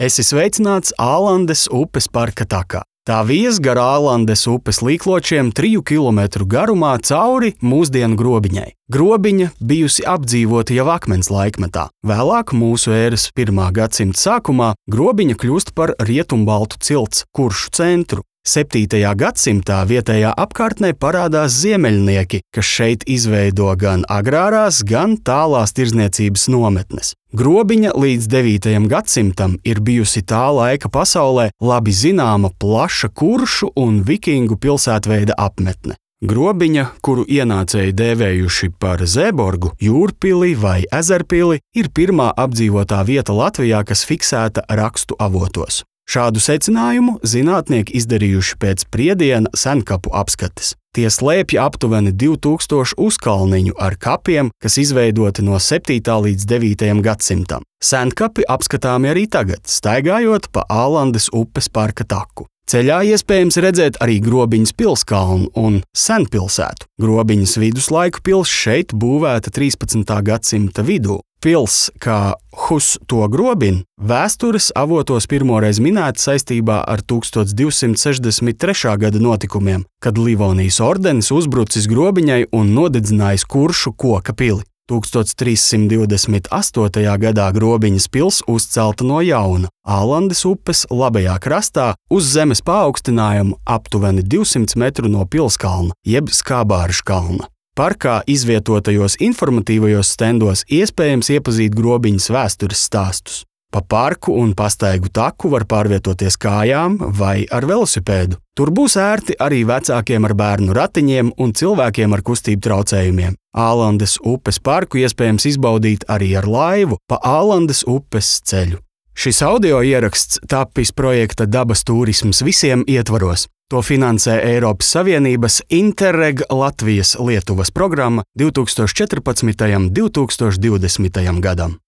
Esi sveicināts Ālandes upes parka takā. Tā vies gar Ālandes upes līkločiem 3 kilometru garumā cauri mūsdienu Grobiņai. Grobiņa bijusi apdzīvota jau akmens laikmetā. Vēlāk mūsu ēras 1. gadsimta sākumā Grobiņa kļūst par rietumbaltu cilts Kuršu centru. 7. gadsimtā vietējā apkārtnē parādās ziemeļnieki, kas šeit izveido gan agrārās, gan tālās tirdzniecības nometnes. Grobiņa līdz 9. gadsimtam ir bijusi tā laika pasaulē labi zināma plaša kuršu un vikingu pilsētveida apmetne. Grobiņa, kuru ienācēji dēvējuši par Zēborgu, Jūrpili vai Ezerpili, ir pirmā apdzīvotā vieta Latvijā, kas fiksēta rakstu avotos. Šādu secinājumu zinātnieki izdarījuši pēc Priediena senkapu apskates. Tie slēpj aptuveni 2000 uzkalniņu ar kapiem, kas izveidoti no 7. līdz 9. gadsimtam. Senkapi apskatāmi arī tagad, staigājot pa Ālandes upes parka taku. Ceļā iespējams redzēt arī Grobiņas pilskalnu un senpilsētu. Grobiņas viduslaiku pils šeit būvēta 13. gadsimta vidū. Pils, kā Hus to grobin, vēstures avotos pirmoreiz minēta saistībā ar 1263. gada notikumiem, kad Livonijas ordenis uzbrucis Grobiņai un nodedzinājis Kuršu koka pili. 1328. gadā Grobiņas pils uzcelta no jauna, Ālandes upes labajā krastā uz zemes paaugstinājumu aptuveni 200 metru no pilskalna, jeb Skābāržu kalna. Parkā izvietotajos informatīvajos stendos iespējams iepazīt Grobiņas vēstures stāstus. Pa parku un pastaigu taku var pārvietoties kājām vai ar velosipēdu. Tur būs ērti arī vecākiem ar bērnu ratiņiem un cilvēkiem ar kustību traucējumiem. Ālandes upes parku iespējams izbaudīt arī ar laivu pa Ālandes upes ceļu. Šis audio ieraksts tapis projekta Dabas turisms visiem ietvaros. To finansē Eiropas Savienības Interreg Latvijas-Lietuvas programma 2014. un 2020. gadam.